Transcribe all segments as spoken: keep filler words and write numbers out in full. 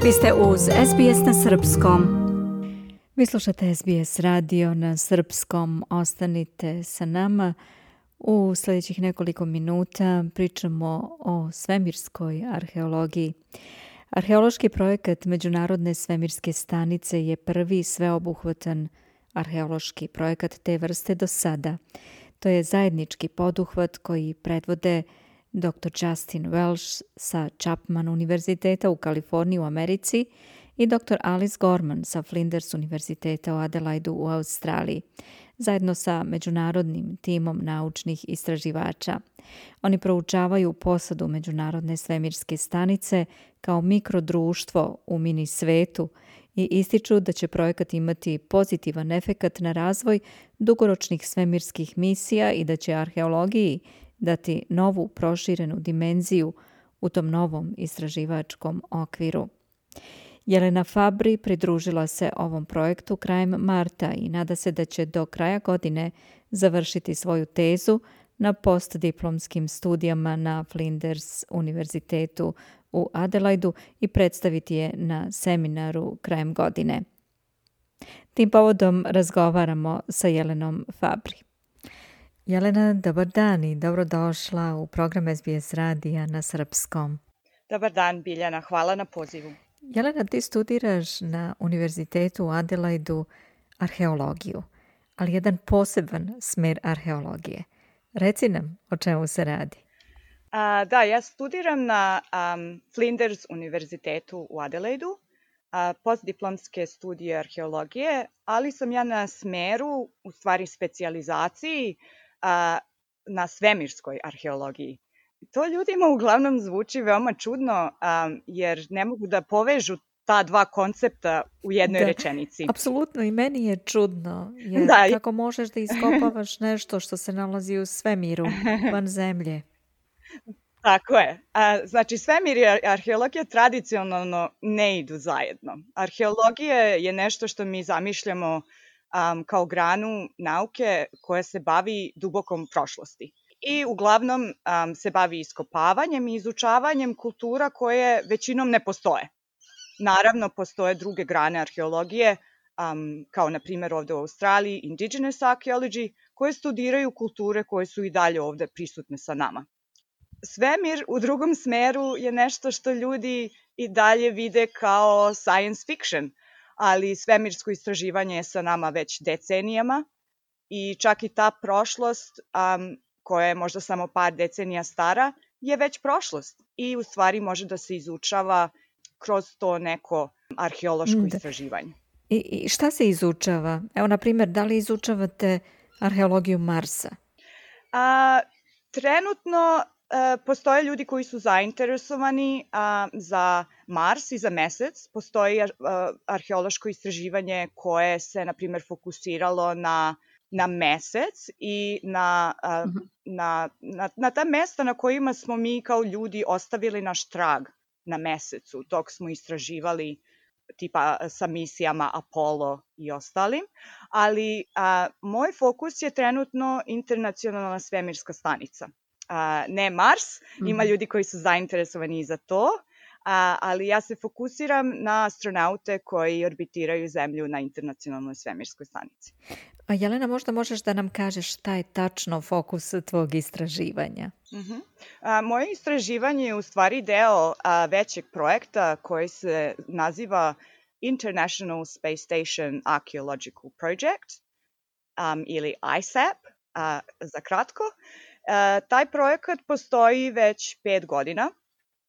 Vi ste uz S B S na srpskom. Vi slušate S B S radio na srpskom. Ostanite sa nama. U sljedećih nekoliko minuta pričamo o svemirskoj arheologiji. Arheološki projekat Međunarodne svemirske stanice je prvi sveobuhvatan arheološki projekat te vrste do sada. To je zajednički poduhvat koji predvode doktor Justin Welsh sa Chapman univerziteta u Kaliforniji u Americi i doktor Alice Gorman sa Flinders univerziteta u Adelaidu u Australiji, zajedno sa međunarodnim timom naučnih istraživača. Oni proučavaju posadu Međunarodne svemirske stanice kao mikrodruštvo u mini svetu i ističu da će projekat imati pozitivan efekat na razvoj dugoročnih svemirskih misija i da će arheologiji dati novu proširenu dimenziju u tom novom istraživačkom okviru. Jelena Fabri pridružila se ovom projektu krajem marta i nada se da će do kraja godine završiti svoju tezu na postdiplomskim studijama na Flinders univerzitetu u Adelaidu i predstaviti je na seminaru krajem godine. Tim povodom razgovaramo sa Jelenom Fabri. Jelena, dobar dan i dobrodošla u program S B S radija na srpskom. Dobar dan, Biljana. Hvala na pozivu. Jelena, ti studiraš na univerzitetu u Adelaidu arheologiju, ali jedan poseban smer arheologije. Reci nam o čemu se radi. A, da, ja studiram na um, Flinders univerzitetu u Adelaidu, a, postdiplomske studije arheologije, ali sam ja na smeru, u stvari specijalizaciji, a, na svemirskoj arheologiji. To ljudima uglavnom zvuči veoma čudno, um, jer ne mogu da povežu ta dva koncepta u jednoj da, rečenici. Apsolutno, i meni je čudno, jer da. Kako možeš da iskopavaš nešto što se nalazi u svemiru, van zemlje? Tako je. A, znači, svemir i arheologija tradicionalno ne idu zajedno. Arheologija je nešto što mi zamišljamo um, kao granu nauke koja se bavi dubokom prošlosti. I uglavnom um, se bavi iskopavanjem i izučavanjem kultura koje većinom ne postoje. Naravno, postoje druge grane arheologije, um, kao na primjer ovde u Australiji indigenous archaeology, koje studiraju kulture koje su i dalje ovde prisutne sa nama. Svemir u drugom smeru je nešto što ljudi i dalje vide kao science fiction, ali svemirsko istraživanje je sa nama već decenijama i čak i ta prošlost um, koja je možda samo par decenija stara, je već prošlost i u stvari može da se izučava kroz to neko arheološko da. istraživanje. I, I šta se izučava? Evo, na primjer, da li izučavate arheologiju Marsa? A, trenutno a, postoje ljudi koji su zainteresovani a, za Mars i za Mesec. Postoji a, arheološko istraživanje koje se, na primjer, fokusiralo na na Mesec i na, uh, uh-huh. na, na, na ta mesta na kojima smo mi kao ljudi ostavili naš trag na Mesecu, dok smo istraživali tipa sa misijama Apollo i ostalim. Ali uh, moj fokus je trenutno internacionalna svemirska stanica. Uh, ne Mars, uh-huh. Ima ljudi koji su zainteresovani i za to, uh, ali ja se fokusiram na astronaute koji orbitiraju Zemlju na internacionalnoj svemirskoj stanici. A Jelena, možda možeš da nam kažeš šta je tačno fokus tvog istraživanja? Uh-huh. A, moje istraživanje je u stvari deo a, većeg projekta koji se naziva International Space Station Archaeological Project um, ili I S A P a, za kratko. A, taj projekat postoji već pet godina.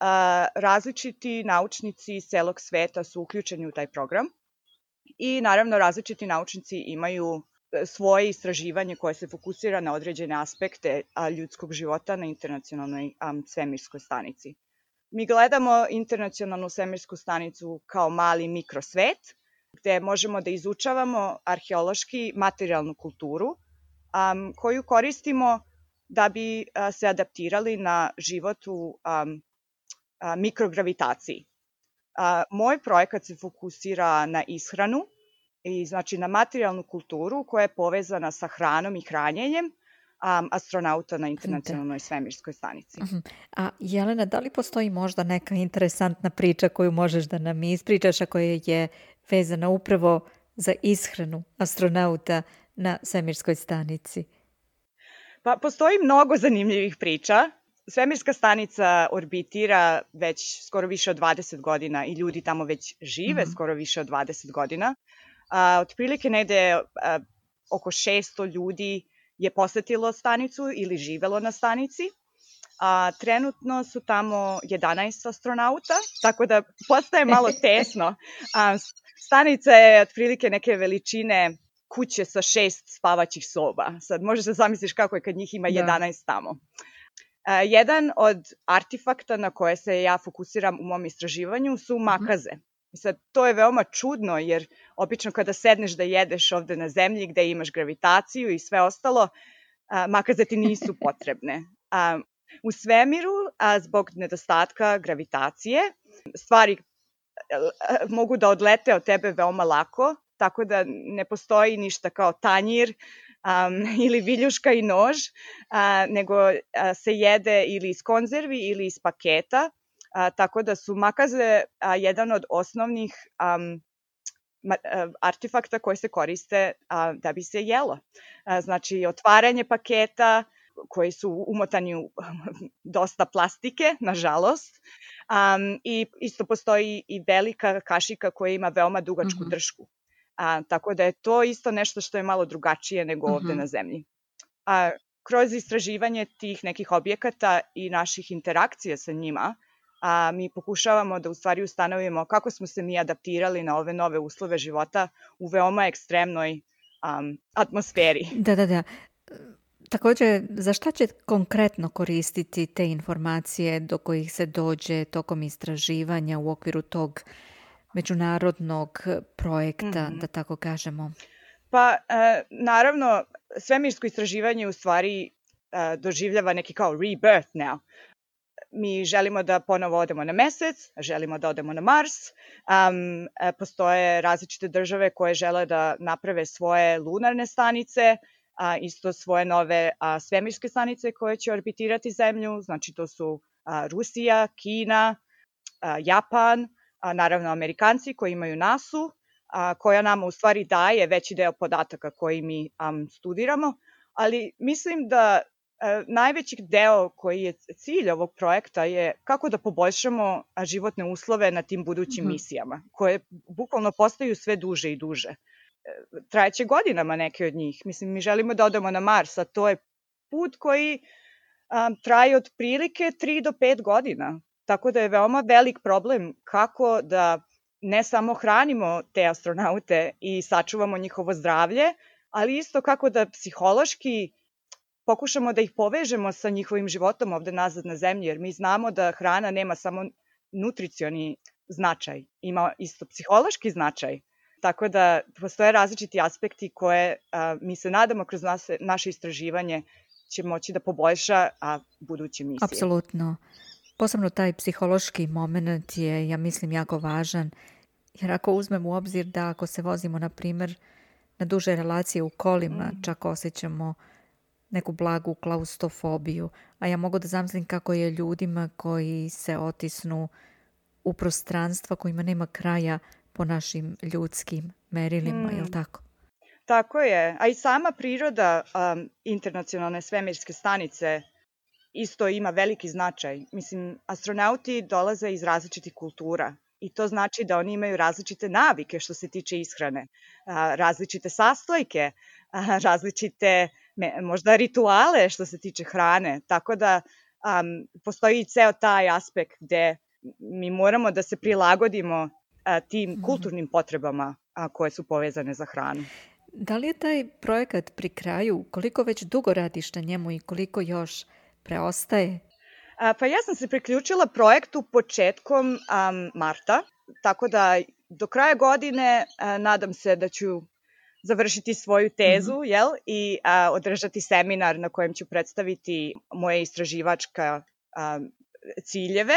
A, različiti naučnici iz celog sveta su uključeni u taj program i naravno različiti naučnici imaju svoje istraživanje koje se fokusira na određene aspekte a, ljudskog života na internacionalnoj a, svemirskoj stanici. Mi gledamo internacionalnu svemirsku stanicu kao mali mikrosvet, gde možemo da izučavamo arheološki materijalnu kulturu a, koju koristimo da bi a, se adaptirali na život u a, a, mikrogravitaciji. A, moj projekat se fokusira na ishranu, i znači na materijalnu kulturu koja je povezana sa hranom i hranjenjem, um, astronauta na internacionalnoj svemirskoj stanici. Uh-huh. A Jelena, da li postoji možda neka interesantna priča koju možeš da nam ispričaš, a koja je vezana upravo za ishranu astronauta na svemirskoj stanici? Pa postoji mnogo zanimljivih priča. Svemirska stanica orbitira već skoro više od dvadeset godina i ljudi tamo već žive uh-huh. skoro više od dvadeset godina. A, otprilike negde a, oko šesto ljudi je posetilo stanicu ili živelo na stanici. A, trenutno su tamo jedanaest astronauta, tako da postaje malo tesno. A, stanica je otprilike neke veličine kuće sa šest spavaćih soba. Sad možeš da zamisliš kako je kad njih ima jedanaest da. tamo. Uh, jedan od artefakta na koje se ja fokusiram u mom istraživanju su makaze. I sad, to je veoma čudno jer obično kada sedneš da jedeš ovde na zemlji gde imaš gravitaciju i sve ostalo, uh, makaze ti nisu potrebne. Uh, u svemiru, a zbog nedostatka gravitacije, stvari uh, mogu da odlete od tebe veoma lako, tako da ne postoji ništa kao tanjir um, ili viljuška i nož, uh, nego uh, se jede ili iz konzervi ili iz paketa, uh, tako da su makaze uh, jedan od osnovnih um, ma, uh, artefakta koji se koriste uh, da bi se jelo. Uh, znači, otvaranje paketa koji su umotani u dosta plastike, nažalost, um, i isto postoji i velika kašika koja ima veoma dugačku uh-huh. dršku. A, tako da je to isto nešto što je malo drugačije nego uh-huh. ovde na zemlji. A, kroz istraživanje tih nekih objekata i naših interakcija sa njima, a, mi pokušavamo da u stvari ustanovimo kako smo se mi adaptirali na ove nove uslove života u veoma ekstremnoj um, atmosferi. Da, da, da. Takođe, za šta će konkretno koristiti te informacije do kojih se dođe tokom istraživanja u okviru tog međunarodnog projekta, mm-hmm. da tako kažemo? Pa, e, naravno, svemirsko istraživanje u stvari e, doživljava neki kao rebirth now. Mi želimo da ponovo odemo na mesec, želimo da odemo na Mars. Um, e, postoje različite države koje žele da naprave svoje lunarne stanice, a, isto svoje nove a, svemirske stanice koje će orbitirati Zemlju. Znači, to su a, Rusija, Kina, a, Japan, a, naravno Amerikanci koji imaju nasu, a, koja nam u stvari daje veći deo podataka koji mi um, studiramo, ali mislim da a, najveći deo koji je cilj ovog projekta je kako da poboljšamo životne uslove na tim budućim mm-hmm. misijama, koje bukvalno postaju sve duže i duže. Trajeće godinama neke od njih. Mislim, mi želimo da odemo na Mars, a to je put koji um, traje od prilike tri do pet godina. Tako da je veoma velik problem kako da ne samo hranimo te astronaute i sačuvamo njihovo zdravlje, ali isto kako da psihološki pokušamo da ih povežemo sa njihovim životom ovde nazad na zemlji, jer mi znamo da hrana nema samo nutricioni značaj, ima isto psihološki značaj. Tako da postoje različiti aspekti koje a, mi se nadamo kroz nas, naše istraživanje će moći da poboljša a, buduće misije. Apsolutno. Posebno taj psihološki moment je, ja mislim, jako važan. Jer ako uzmemo u obzir da ako se vozimo, na primjer, na duže relacije u kolima, mm. čak osjećamo neku blagu klaustrofobiju. A ja mogu da zamislim kako je ljudima koji se otisnu u prostranstva kojima nema kraja po našim ljudskim merilima, mm. je li tako? Tako je. A i sama priroda um, internacionalne svemirske stanice isto ima veliki značaj. Mislim, astronauti dolaze iz različitih kultura i to znači da oni imaju različite navike što se tiče ishrane, a, različite sastojke, a, različite me, možda rituale što se tiče hrane. Tako da um, postoji i ceo taj aspekt gde mi moramo da se prilagodimo a, tim kulturnim potrebama a, koje su povezane za hranu. Da li je taj projekat pri kraju? Koliko već dugo radiš na njemu i koliko još preostaje? A, pa ja sam se priključila projektu početkom um, marta, tako da do kraja godine a, nadam se da ću završiti svoju tezu, mm-hmm. jel? I a, održati seminar na kojem ću predstaviti moje istraživačka a, ciljeve.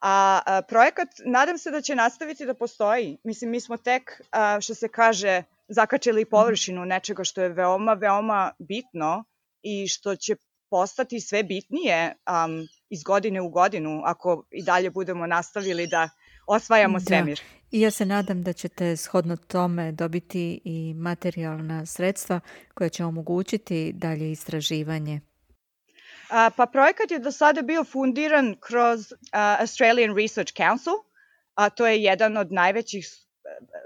A, a projekat, nadam se da će nastaviti da postoji. Mislim, mi smo tek, a, što se kaže, zakačili površinu nečega što je veoma, veoma bitno i što će postati sve bitnije um, iz godine u godinu ako i dalje budemo nastavili da osvajamo svemir. Da. I ja se nadam da ćete shodno tome dobiti i materijalna sredstva koja će omogućiti dalje istraživanje. A, pa projekat je do sada bio fundiran kroz uh, Australian Research Council, a to je jedan od najvećih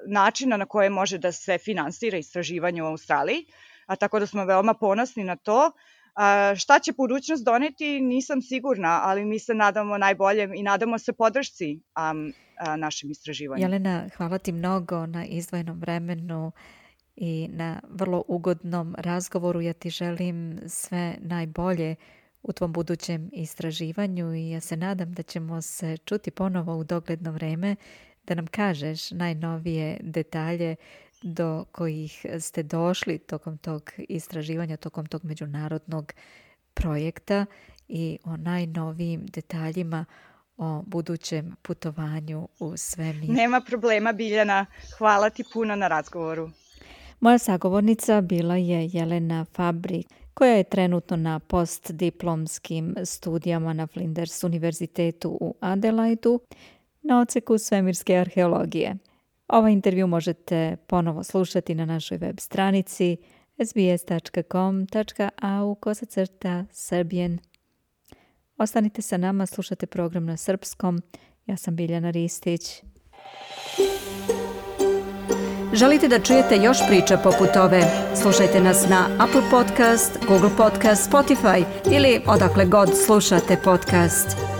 načina na koje može da se finansira istraživanje u Australiji, a tako da smo veoma ponosni na to. A, šta će budućnost doneti, nisam sigurna, ali mi se nadamo najboljem i nadamo se podršci um, a, našem istraživanju. Jelena, hvala ti mnogo na izdvojenom vremenu i na vrlo ugodnom razgovoru. Ja ti želim sve najbolje u tvom budućem istraživanju i ja se nadam da ćemo se čuti ponovo u dogledno vreme da nam kažeš najnovije detalje do kojih ste došli tokom tog istraživanja, tokom tog međunarodnog projekta i o najnovijim detaljima o budućem putovanju u svemir. Nema problema, Biljana. Hvala ti puno na razgovoru. Moja sagovornica bila je Jelena Fabrik, koja je trenutno na postdiplomskim studijama na Flinders univerzitetu u Adelaidu na odseku svemirske arheologije. Ovaj intervju možete ponovo slušati na našoj web stranici s b s dot com dot a u kosacrta Serbian. Ostanite sa nama, slušate program na srpskom. Ja sam Biljana Ristić. Želite da čujete još priča poput ove? Slušajte nas na Apple Podcast, Google Podcast, Spotify ili odakle god slušate podcast.